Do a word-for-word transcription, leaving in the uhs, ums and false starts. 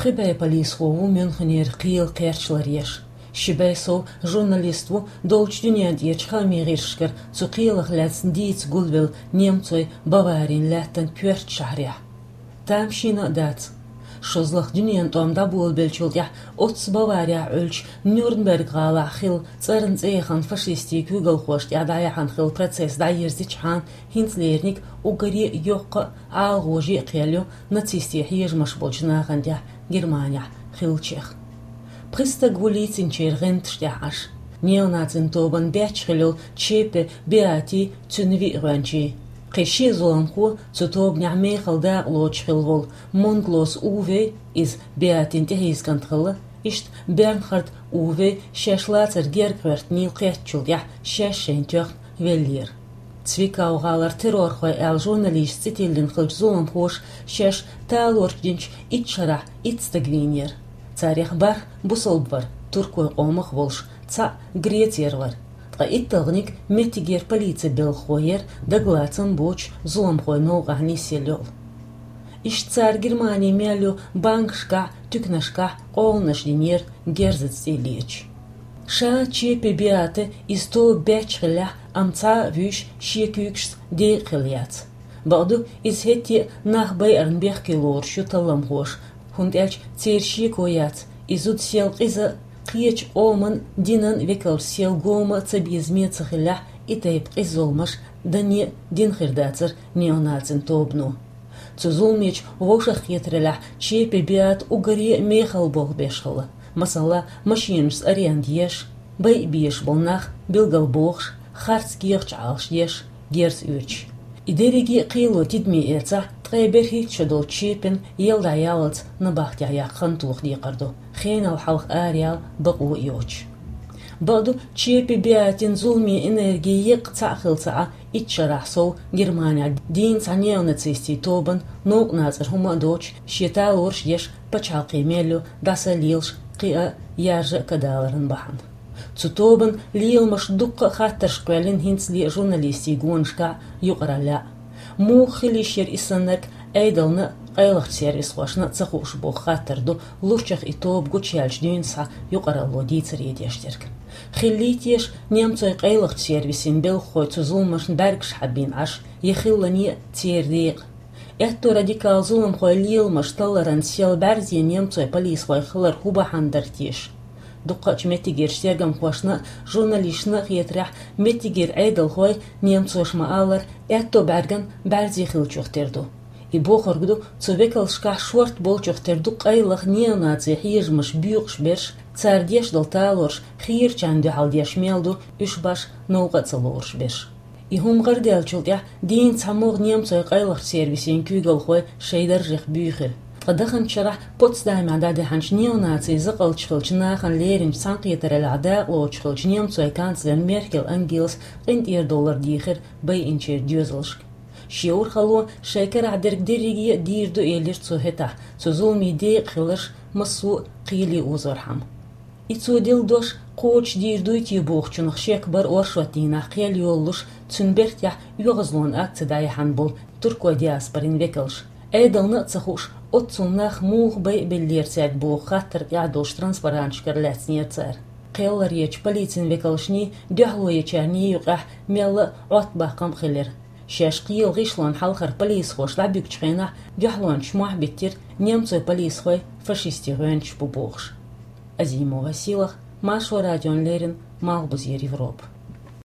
Кхы бӀе полисхо ву Мюнхенера кхел кхерч ларъеш. Ши бӀе сов журналист ву долчу дуьнен тӀерачу хаамийн гӀирсашкара цу кхелах лаьцна дийца гулвелла немцойн Баварин лаьттан коьртачу шахьарехь. Тамашийна а дац. ШозлагӀа дуьненан тӀом дӀаболабеллачул тӀаьхьа оццу Баварехь Ӏуьллучу Нюрнберг-гӀалахь хилла цӀарна цӀе яхана фашистийн куьйгалхошна тӀехь дӀаяьхьна хилла процесс дӀайирзичхьана, хӀинца леринарг уггаре а йоккха а, ӀалагӀоже а кхел ю нацистийн хьежамаш болчу нахана тӀехь Германехь хиллачех. Пхи стаг ву лийцинчеран гӀанташ тӀехь Ӏаш. Неонацийн тобанан баьчча хилла йолу Чепе Беати, цуьнан виъ гӀоьнчий. Кхин ши зуламхо, цу тобанехь мехала дакъа лоцуш хилла волу Монглос Уве, иза Беатин тӀехьийза кӀант хилла, иштта Бернхард Уве шаьш лацар герга гӀоьртинийла кхеттачул тӀаьхьа шаьш шайна тоьхна веллера. Цвикау-гӀалара террорхой аьлла журналисташца цӀе тиллина хиллачу зуламхоша шаьш талораш динчу итт шарахь итт стаг вийнера. Царех бархӀ бусалба вара, туркойн къомах а волуш, цхьаъ Грецера вара. Ткъа итталгӀаниг меттигера полицин белхахо яра, дагалацам боцуш зуламхойн новкъахь нисъелла йолу. Иштта цара Германин мел йолу банкашкахь, туьканашкахь къоланаш динера, герзаца цӀе леташ. Ша Чепе Беата иза тоба баьчча хиллехь, амма цхьа а вуьйш шен куьйгашца декъа хилла яц. Бакъду, иза хӀетте а нах байарна бехке лоруш ю талламхоша, хӀунда аьлча церан шеко яц, и зуда сел къиза а, кхечу къоман, динан векалш сел гома а цабезаме ца хиллехь, и тайпа къиза зуламаш дане а дина хир дацара неонацийн тобано. Цу зуламечу вовшахкхетараллехь Чепе Беата уггаре а мехала болх беш хилла. Масала, машенашца аренда еш, байа безаш болу нах билгалбохуш, харц кехаташ Ӏалашдеш, герз оьцуш. И дерриге а кхело тидаме эцахь, ткъе берхӀитта шо долчу Чепен ел дӀаяллалц набахтехь яккха хан тоха декхар ду, хенал хьалха араяла бакъо а йоцуш. Бакъду, Чепе Беатин зуламийн энерги еккъа цхьаъ хилла ца Ӏа, итт шарахь сов Германехь дийна цхьа неонацистийн тобанан новкъа нацара хӀума а доцуш, шен талораш а деш, пачхьалкхан мел ю дӀаса а лелаш, кхиа а, яржа а кадаларан бахьана. Цу тобанан леламаша дуккха а хаттарш кхоьллина хӀинцале а журналистийн гонашкахь, юкъараллехь. Муха хила йиш яра и саннарг Ӏедална а, къайлахчу сервисхошна а ца хууш боху хаттар ду лурчах и тоба гучуяьллачу дуьйна схьа юкъаралло дийцаре деш дерг. Хиллий теша немцойн къайлахчу сервисийн белхахой цу зуламашна бӀаьргаш хьаббина Ӏаш, я хиллане а церан декъа? Аьтто радикал зуламхойн леламаш талларан сел бӀаьрзе немцойн полисхой хилар хӀун бахьана дара теша? Дуккхачу меттигерчу тергамхошна а, журналисташна а хетарехь, меттигера Ӏедалхой, немцоша ма-аллара, аьтто бӀаьрган бӀаьрзе хиллачух тера ду. И бохург ду, цу векалшкахь шорта болчух тера ду къайлаха неонацийн хьежамаш боькъуш берш, цара деш долу талораш хийрачарна дуьхьал деш мел ду уьш башха новкъа а ца лоруш берш. И хӀума гӀарадаьллачул тӀаьхьа дийна цхьамогӀа немцойн къайлахчу сервисийн куьйгалхой шайн даржех буьйхира. Ткъа даханчу шарахь Потсдамехь дӀадаьхьначу неонацийн закъалташ хиллачу нахана леринчу цхьаьнакхетараллехь дакъа лоцуш хиллачу немцойн канцлера Меркель Ангелас къинтӀера довлар дийхира байинчеран доьзалшка. Шен урхалло шайн карахь дерг дерриге а дийр ду, элира цо хӀетахь, цу зуламийн декъа хиларш массо а кхеле озорхьама. И цо делла дош кхочушдийр дуй те бохучунах шек бара оршот дийнахь кхел йолалуш, цуьнан бертехь оьгӀазлонан акци дӀаяьхьна болу туркойн диаспорин векалш. Ӏедална а ца хууш, оццул нах муха байабеллера цаьрга боху хаттар тӀехь долчу транспаранташкара лаьцнера цара. Кхел ларъечу полицин векалшний, дуьхьало ечарний юкъахь мелла а Ӏоттабаккхам а хилира. Шаьш кхелан гӀишлонна хьалхара полисхоша дӀабуьгучу хенахь дуьхьалончаш мохь биттира немцойн полисхой фашистийн гӀоьнчаш бу бохуш. Азимова Силах, Маршо радиона леррина, Малхбузера Европа.